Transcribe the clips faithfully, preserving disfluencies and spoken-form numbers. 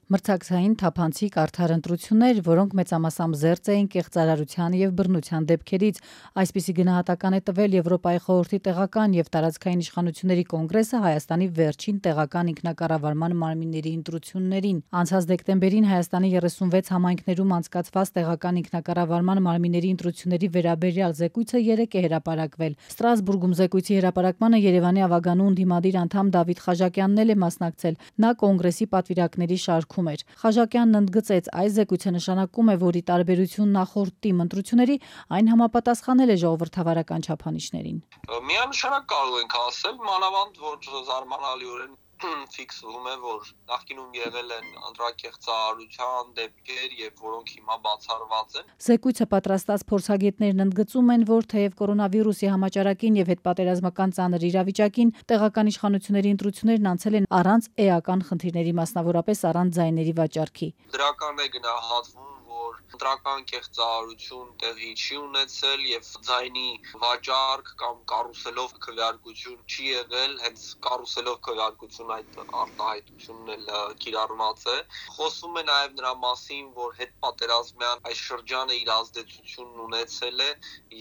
Մրցակցային թափանցիկ արդար ընտրություններ, որոնք մեծամասամբ զերծ էին կեղծարարության և բռնության դեպքերից, այսպիսի գնահատական է տվել Եվրոպայի խորհրդի տեղական և տարածքային իշխանությունների կոնգրեսը Հայաստանի վերջին տեղական ինքնակառավարման մարմինների ընտրություններին։ Անցած դեկտեմբերին Հայաստանի երեսունվեց համայնքներում անցկացված տեղական ինքնակառավարման մարմինների ընտրությունների վերաբերյալ զեկույցը երեկ է հրապարակվել։ Ստրասբուրգում զեկույցի հրապարակմանը Երևանի ավագանու ընդդիմադիր անդամ Դավիթ Խաչատյանն էլ է մասնակցել։ Նա կոնգրեսի պատվիրակների շարքում էր։ Խաչատյանն ընդգծեց, այս զեկույցը նշանակում է, որ ի տարբերություն նախորդ տիմ ընտրությունների, այն համապատասխանել է ժողովրդավարական չափանիշներին։ Միանշանակ կարող ենք ասել, մանավանդ որ զարմանալիորեն ֆիքսվում է, որ նախկինում եղել են ընտրակեղծարարության դեպքեր եւ որոնք հիմա բացառված են։ Զեկույցը պատրաստած փորձագետներն ընդգծում են, որ թեև կորոնավիրուսի համաճարակին եւ հետպատերազմական ծանր իրավիճակին տեղական իշխանությունների ընտրություններն անցել են առանց էական խնդիրների, մասնավորապես առանց ձայների վաճառքի։ Դրական է գնահատվում, որ ընտրական կեղծարարություն տեղի չի ունեցել եւ ձայնի վաճառք կամ կարուսելով քվեարկություն չի եղել, հենց կարուսելով քվեարկություն այդ արտահայտությունն էլ կիրառված է։ Խոսվում է նաեւ նրա մասին, որ հետպատերազմյան այս շրջանը իր ազդեցությունն ունեցել է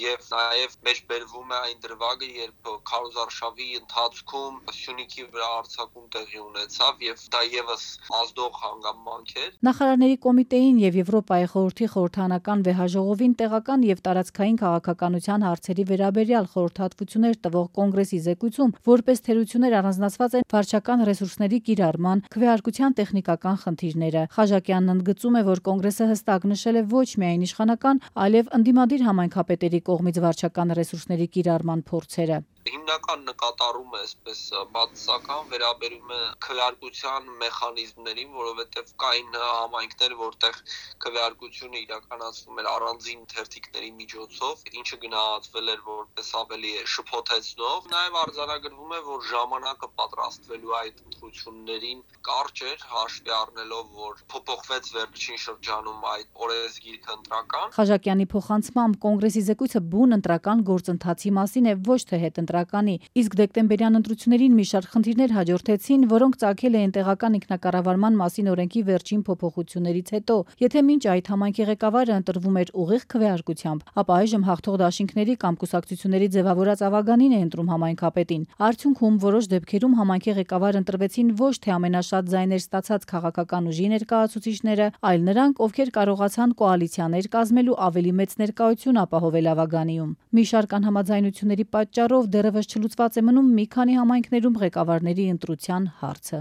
եւ նաեւ մեջբերվում է այն դրվագը, երբ քարոզարշավի ընթացքում Սյունիքի վրա արձակում տեղի ունեցավ եւ դա եւս ազդող հանգամանք էր։ Նախարարների կոմիտեին եւ Եվրոպայի խորհրդի խորհրդարանական վեհաժողովին տեղական եւ տարածքային քաղաքականության հարցերի վերաբերյալ խորհրդատվություններ տվող կոնգրեսի զեկույցում որպես թերություններ առանձնացված են վարչական ռեսուրսների կիրառման, քվեարկության տեխնիկական խնդիրները։ Խաչատյանն ընդգծում է, որ կոնգրեսը հստակ նշել է ոչ միայն իշխանական, այլև ընդդիմադիր համայնքապետերի կողմից վարչական ռեսուրսների կիրառման փորձերը։ Հիմնական նկատառումը այսպես բացասական վերաբերում է քվեարկության մեխանիզմներին, որովհետև կային համայնքներ, որտեղ քվեարկությունը իրականացվում էր առանձին թերթիկների միջոցով, ինչը գնահատվել էր որպես ավելի շփոթեցնող։ Նաև արձանագրվում է, որ ժամանակը պատրաստվելու այդ ընտրություններին կարճ էր, հաշվի առնելով, որ փոփոխվեց վերջին շրջանում այդ օրենսգիրքը ընտրական։ Խաչատյանի փոխանցմամբ կոնգրեսի զեկույցը բուն ընտրական գործընթացի մասին է, ոչ թե հետընտրականի, իսկ դեկտեմբերյան ընտրություններին մի շարք խնդիրներ հաջորդեցին, որոնք ծագել էին տեղական ինքնակառավարման մասին օրենքի վերջին փոփոխություններից հետո։ Եթե մինչ այդ համայնքի ղեկավարը ընտրվում էր ուղիղ քվեարկությամբ, ապա այժմ հաղթող դաշինքների կամ կուսակցությունների ձևավորած ավագանին է ընտրում համայնքապետին։ Արդյունքում որոշ դեպքերում համայնքի ղեկավար ընտրվեցին ոչ թե ամենաշատ ձայներ ստացած քաղաքական ուժի ներկայացուցիչները, այլ նրանք, ովքեր կարողացան կոալիցիաներ կազմելու ավելի մեծ ներկայություն ապահովել ավագանիում։ Մի շարք անհամաձայնությունների պատճառով դեռևս չլուծված է մնում մի քանի համայնքներում ղեկավարների ընտրության հարցը։